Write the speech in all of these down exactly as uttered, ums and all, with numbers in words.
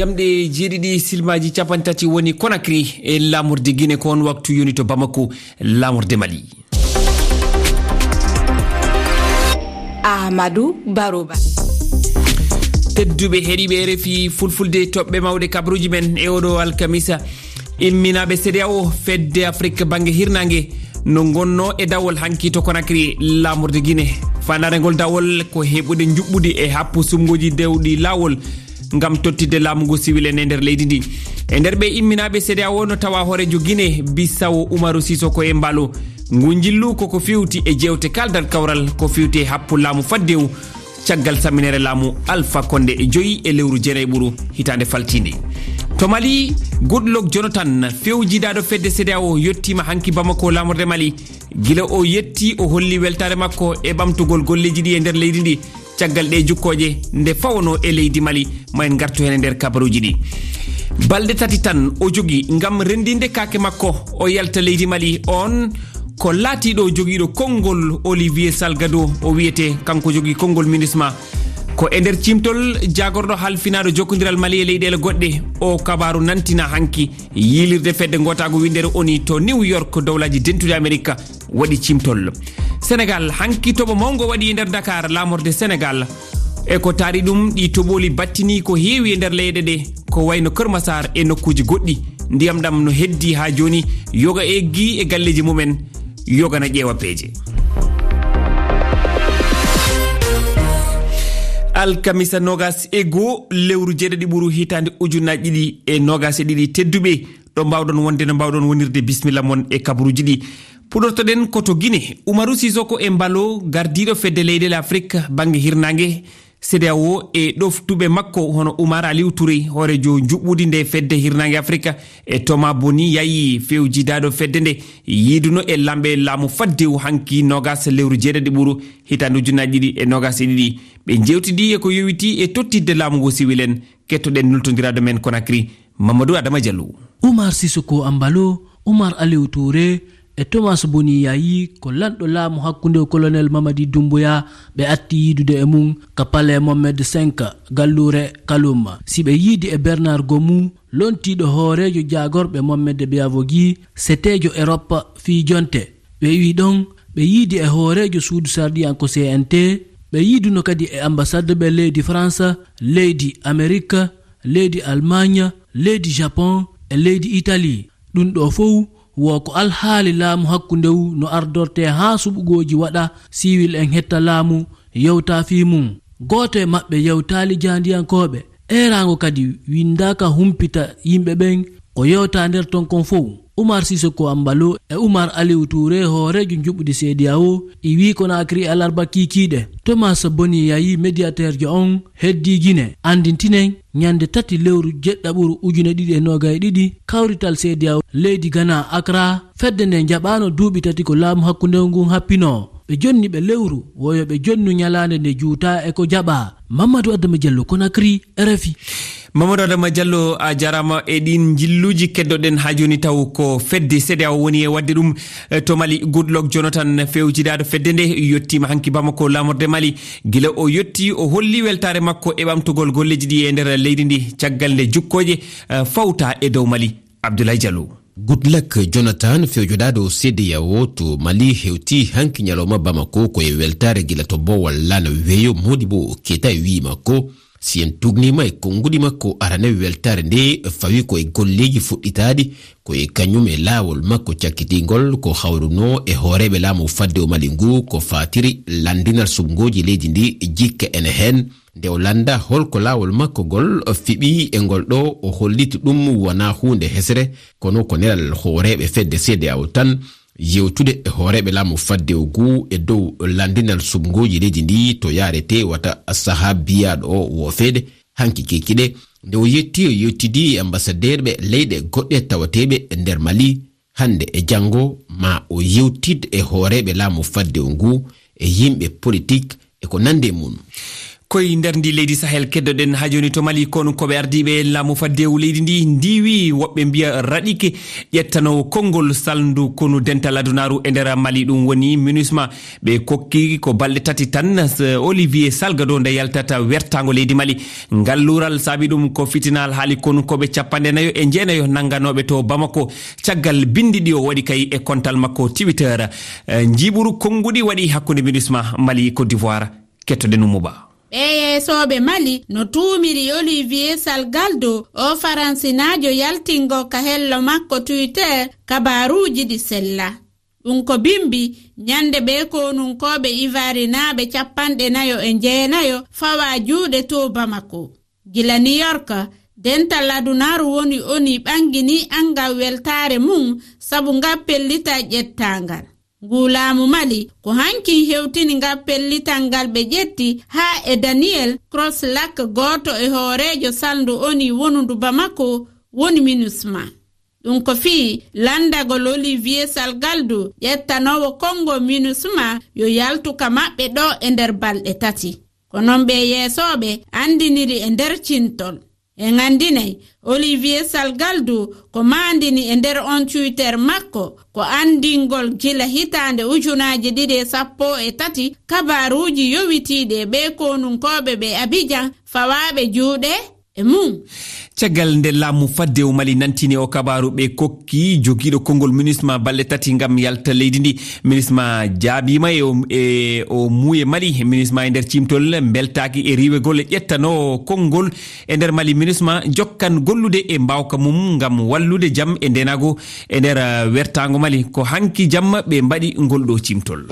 Jamɗe jeeɗiɗi silmaaji capanɗe tati woni Conakry e laamorde Guinée, ko on waktu yoni to Bamako, laamorde Mali. Ahmadou Baroba. Tedduɓe heɗiiɓe R F I Fulfulde, toɓɓe mawɗe kabaruuji men e oɗo alkamisa. Imminaaɓe C E D E A O, fedde Afrik bannge hirnaange, no ngonnoo e dawol hanki to Conakry, laamorde Guinée. Faandaare ngol dawol ko heɓude njuɓɓudi e happu sumngooji dewɗi laawol ngam tottidde laamu ngu siwil en e nder leydi ndi. E nder ɓe imminaaɓe C E D E A O no tawa hooreejo Guinée Bissau Umaru Sissoco Embaló. Ngu njillu koko fewti e jeewte kaaldal kawral ko fewti e happu laamu faddewu caggal samminere laamu Alpha Condé e joyi e lewru jeenay ɓuru hitaande faltiinde. To Mali, Goodluck Jonathan, fewjidaaɗo fedde C E D E A O, yettiima hanki Bamako, laamorde Mali. Gila o yetti, o holli weltaare makko e ɓamtugol golleeji ɗi e nder leydi ndi, caggal ɗe jukkooje nde fawanoo e leydi Mali. Ma en ngartu heen e nder kabaruuji ɗi. Balɗe tati tan o jogii ngam renndinde kaake makko, o yalta leydi Mali. On ko laatiiɗo jogiiɗo konngol Olivier Salgado, o wiyetee, kanko jogii konngol MINUSMA. Ko e nder ciimtol jaagorɗo halfinaaɗo jokkondiral Mali e leyɗeele goɗɗe, o kabaaru nantina hanki yiilirde fedde ngootaagu winndere ONU to New York, Dowlaaji Dentuɗi Amerik waɗi ciimtol. Senegal, hanki toɓo mawngo waɗi e nder Dakar, laamorde Senegal. E ko taari ɗum, ɗi toɓooli battini ko heewi e nder leyɗe ɗe, ko wayno Kër Massar e nokkuuji goɗɗi. Ndiyam ɗam no heddi haa jooni, yoga eggi e galleeji mumen, yoga na ƴeewa peeje. Alkamisa noogas e goo lewru jeeɗiɗi ɓuru hitaande ujunaaji ɗiɗi e noogas e ɗiɗi, tedduɓe, ɗo mbaawɗon wonde, no mbaawɗon wonirde, bisimilla mon e kabaruuji ɗi. Puɗortoɗen ko to Guinée. Umaru Sissoco Embaló, gardiiɗo fedde leyɗeele Afrik bannge hirnaange, C E D E A O, e ɗoftuɓe makko hono Umar Aliou Touré, hooreejo njuɓɓudi nde fedde hirnaange Afrik, e Thomas Boni Yayi, fewjidaaɗo fedde nde, yiiduno e lamɓe laamu faddewu hanki noogas lewru jeeɗiɗi ɓuru hitaande ujunaaji ɗiɗi e noogas e ɗiɗi. Ɓe njeewtidi e ko yowitii e tottidde laamu ngu siwil en. Kettoɗen nultondiraaɗo men Conakry, Mamadou Adama Diallo. Umar Sissoco Embaló, Umar Aliou Touré e Thomas Boni Yayi ko lanɗo laamu hakkunde Colonel Mamadi Doumbouya ɓe atti yiidude e mum ka Palais Mohamed cinq, galluure Kaloum. Si ɓe yiidi e Bernard Gomou, lontiiɗo hooreejo jaagorɓe Mohamed Biavogi, seteejo Europe fii jonte. Ɓe iwi ɗon, ɓe yiidi e hooreejo suudu sarɗiyanko C N T, ɓe yiiduno kadi e ambasaddeɓe leydi France, leydi Amerik, leydi Almaañ, leydi Japon e leydi Itali. Ɗum ɗoo fow wo ko alhaali laamu hakkundewu no ardortee haa suɓugooji waɗa, siwil en hetta laamu, yewta fii mum. Gooto e maɓɓe yewtaali jaandiyankooɓe. Eeraango kadi winndaaka humpita yimɓe ɓen ko yewta nder ton kon fow. Umar Sissoco Embaló e Umar Aliou Touré, hooreejo njuɓɓudi C E D E A O, iwii Conakry alarba kiikiiɗe. Thomas Boni Yayi, médiateurjo on, heddii Guinée. Anndintinen, ñannde tati lewru jeɗɗaɓuru ujune ɗiɗi e noogay e ɗiɗi, kawrital C E D E A O leydi Ghana, Accra, fedde nden jaɓaano duuɓi tati ko laamu hakkunde ngun happinoo. Ɓe jonni ɓe lewru, wo yo ɓe jonnu ñalaande nde juutaa e ko jaɓaa. Mamadou Adama Diallo, Conakry, R F I. Mamadou Adama Diallo, a jaaraama e ɗiin njilluuji. Keddoɗen haa jooni taw ko fedde C E D E A O woni e waɗde ɗum, eh, to Mali. Goodluck Jonathan, fewjidaaɗo fedde nde, yettiima hanki Bamako, laamorde Mali. Gila o yetti, o holli weltaare makko e ɓamtugol golleeji ɗi e nder leydi ndi, caggal nde jukkooje, eh, fawta e dow Mali. Abdoulaye Diallo. Goodluck Jonathan, fewjodaaɗo C E D E A O to Mali, hewti hanki ñalawma Bamako ko e weltaare gila to boowal laana weeyo. Modibo Keita e wi'i makko, si en tugniima e konnguɗi makko arane, weltaare nde fawi ko e golleeji fuɗɗitaaɗi, ko e kañum e laawol makko cakkitingol ko hawrunoo e hooreeɓe laamu fadde o Mali ngu ko faatiri lanndinal suɓngooji leydi ndi, jikke ene heen. Nde o lannda holko laawol makko ngol fiɓi e ngol ɗoo, o holliti ɗum wonaa huunde hesre, kono ko nelal hooreeɓe fedde C E D E A O tan, yewtude e hooreeɓe laamu fadde o ngu e dow lanndinal suɓngooji leydi ndi to yaaretee wata sahaa biyaaɗo o woofeede. Hanki kikiɗe, nde o yetti, o yettidi e ambasadeerɓe leyɗe goɗɗe tawateeɓe e nder Mali, hannde e janngo, ma o yewtid e hooreeɓe laamu fadde o ngu, e yimɓe politik, e ko nandi e mum. Koy nder ndi leydi Sahel keddoɗen haa jooni to Mali, konunkooɓe ardiiɓe laamu faddewu leydi ndi ndiwi woɓɓe mbiya raɗike ƴettanoowo konngol salndu konu dental adunaaru e nder Mali, ɗum woni MINUSMA. Ɓe kokki ko balɗe tati tan, s-, Olivier Salgado nde yaltata wertaango leydi Mali. Ngal luural saabi ɗum ko fitina alhaali konunkooɓe capanɗe nayo e jeenayo nannganooɓe to Bamako, caggal binndi ɗi o waɗi kay e kontal makko Twitter. Eh, njiiɓuru konnguɗi waɗi hakkunde MINUSMA Mali Côte d'Ivoire. Kettoɗen Oumou Ba. Ɓee yeesooɓe Mali no tuumiri Olivier Salgaldo, o Faransinaajo yaltingo ka hello makko Twitter kabaaruuji ɗi sella. Ɗum ko bimbi ñande ɓee konunkooɓe ivarinaaɓe capanɗe nayo e jeenayo fawa juuɗe to Bamako. Gila New York, dental adunaaru woni ONU ɓangini anngal weltaare mum sabu ngal pellital ƴettaangal. Ngu laamu Mali ko hanki hewtini ngal pellital ngal ɓe ƴetti haa e Daniel Crosslak, gooto e hooreejo salndu ONU wonundu Bamako, woni MINUSMA. Ɗum ko fii lanndagol Olivier Salgaldo ƴettanoowo konngol MINUSMA yo yaltu ka maɓɓe ɗo e nder balɗe tati. Ko noon ɓee yeesooɓe anndiniri e nder cimtol. En anndinay, Olivier Salgaldo ko maandini e nder on Twitter makko, ko anndingol gila hitaande ujunaaji ɗiɗi e sappo e tati kabaaruuji yowitiiɗi e ɓee konunkooɓe ɓe Abidjan fawaaɓe juuɗe e mum. Caggal nde laamu faddewu Mali nantini o kabaaru, ɓe kokki jogiiɗo konngol MINUSMA balɗe tati ngam yalta leydi ndi. MINUSMA jaabiima e o, e o muuye Mali. MINUSMA e nder cimtol mbeltaaki e riiwegol e ƴettanoowo konngol e nder Mali. MINUSMA jokkan gollude e mbaawka mum ngam wallude jam e ndeenaagu e nder, uh, wertaango Mali. Ko hanki jamma ɓe mbaɗi ngol ɗo cimtol.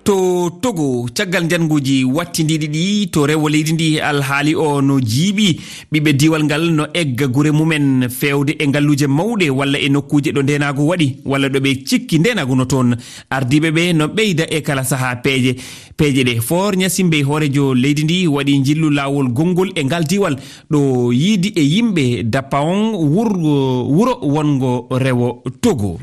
To Togo, caggal njannguuji wattindiiɗi ɗi to rewo leydi ndi, alhaali o no jiiɓi. Ɓiɓɓe diiwal ngal no egga gure mumen feewde e ngalluuje mawɗe walla e nokkuuje ɗo ndeenaagu waɗi walla ɗo ɓe cikki ndeenaagu no toon. Ardiiɓe ɓe no ɓeyda e kala sahaa peeje. Peeje ɗe, Foor Ñasimbey, hooreejo leydi ndi, waɗi njillu laawol gonngol e ngal diiwal ɗo yiidi e yimɓe Dapaon, wur-, wuro wonngo rewo Togo.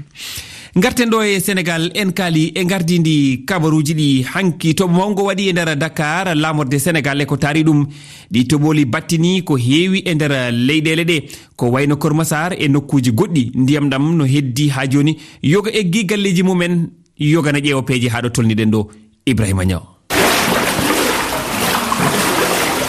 Ngarten ɗo e Senegal, en kaali e ngardiindi kabaruuji ɗi hanki. Toɓo mawngo waɗi e nder Dakar, laamorde Senegal e ko taari ɗum. Ɗi toɓooli battini ko heewi e nder leyɗeele ɗe, ko wayno Kër Massar e nokkuuji goɗɗi. Ndiyam ɗam no heddi haa jooni, yoga eggi galleeji mumen, yoga na ƴeewa peeje haa ɗo tolniɗen ɗo. Ibrahima Niang.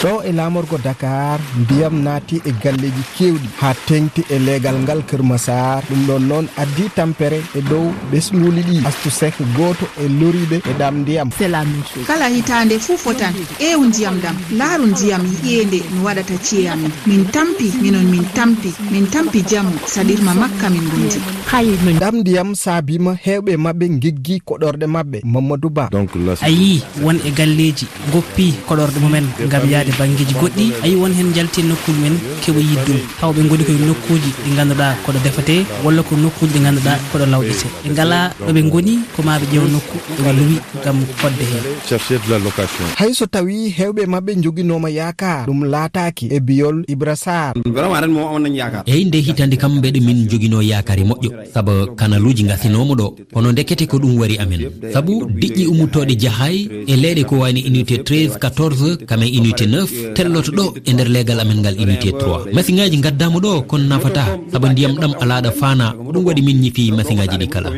Ɗo e laamorgo Dakar, ndiyam naati e galleeji keewɗi haa teeŋti e leegal ngal Kër Massar. Ɗum ɗoon noon addi tampere e dow ɓesnguuli ɗi. Astu Seck, gooto e loriiɓe e ɗam ndiyam. C'est la même chose. Kala hitaande fuu fotan ƴeew ndiyam ɗam, laaru ndiyam yi'ee nde no waɗata ci'e amin. Min tampi, minon min tampi, min tampi jamu, saɗirma makka min ngondi. Ɗam ndiyam saabiima heewɓe maɓɓe ngiggi koɗorɗe maɓɓe. Mamadou Ba. Donc, la A yii won e galleeji ngoppi koɗorɗe mumen ngam yahde banngeeji goɗɗi. A yii won heen njalti e nokkuuji men keɓa yiɗde ɗum. Tawa ɓe ngoni ko e nokkuuji ɗi ngannduɗaa ko ɗo defatee, walla ko nokkuuji ɗi ngannduɗaa ko ɗo lawƴetee. Ɓe ngalaa ɗo ɓe ngoni, ko maa ɓe ƴeewa nokku ɗo ɓe luwi ngam fodde heen. Chercher de la location. Hay so tawii heewɓe maɓɓe njoginooma yaakaar, ɗum laataaki e biyol Ibra Sarr. Vraiment, ren moom amoon nañu yaakaar. Eyi, nde hitaande kam mbeɗe min njoginoo yaakaar e moƴƴo, sabu kanaluuji ngasinooma ɗo. Kono ndekete ko ɗum wari amen. Sabu diƴƴe ummotooɗe jahaay e leyɗe ko wayno unité treize, quatorze, kam e unité neuf, telloto ɗo e nder leegal amen ngal unité trois. Masiŋaaji ngaddaama ɗo, kono nafataa, sabu ndiyam ɗam alaa ɗo faanaa. Ko ɗum waɗi min ñifi masiŋaaji ɗi kala.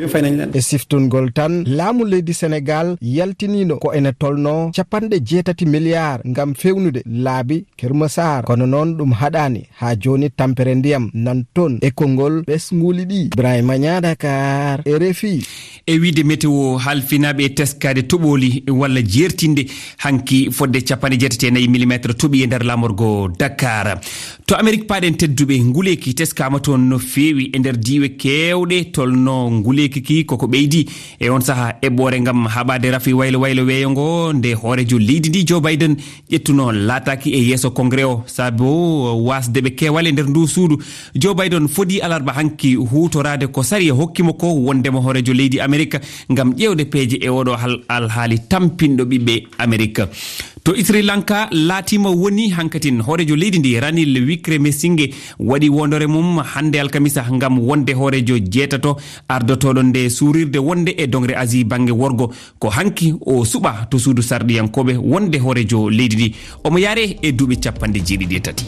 E siftungol tan, laamu leydi Senegal yaltiniino ko ene tolnoo capanɗe jeetati miliyaar ngam feewnude laabi Kër Massar. Kono noon ɗum haɗaani. Haa jooni tampere ndiyam nan toon e konngol ɓesnguuli ɗi. Ibrahima Niang, Dakar, R F I. E wiyde météo, halfinaaɓe e teskaade toɓooli walla jeertinde hanki fodde capanɗe jeetati e nayi millimetre toɓi e nder laamorgo Dakar. To Amerik paaɗen tedduɓe, nguleeki teskaama toon no feewi e nder diiwe keewɗe, tolno nguleeki ki koko ɓeydi. E on saha eɓɓoore ngam haɓaade rafi waylo waylo weeyo ngo, nde hooreejo leydi ndi Joe Biden ƴettuno laataaki e yeeso Congrès o, sabu wasde ɓe keewal e nder ndu suudu. Joe Biden fodi alarba hanki huutoraade ko sariya hokki mo ko, wondema hooreejo leydi Amerik Amerika ngam ƴeewde peeje e oɗo hal alhaali tampinɗo ɓiɓɓe Amerika. To Sri Lanka, laatima woni hankatin hooreejo leydi ndi, Ranil Wickremesinghe, waɗi wondore mum hannde alkamisa ngam wonde hooreejo jeetato ardotooɗo nde suurirde wonde e dongre Asie bannge worgo. Ko hanki o suɓa to suudu sarɗiyankooɓe wonde hooreejo leydi ndi. Omo yaare e duuɓi capanɗe jeeɗiɗi e tati.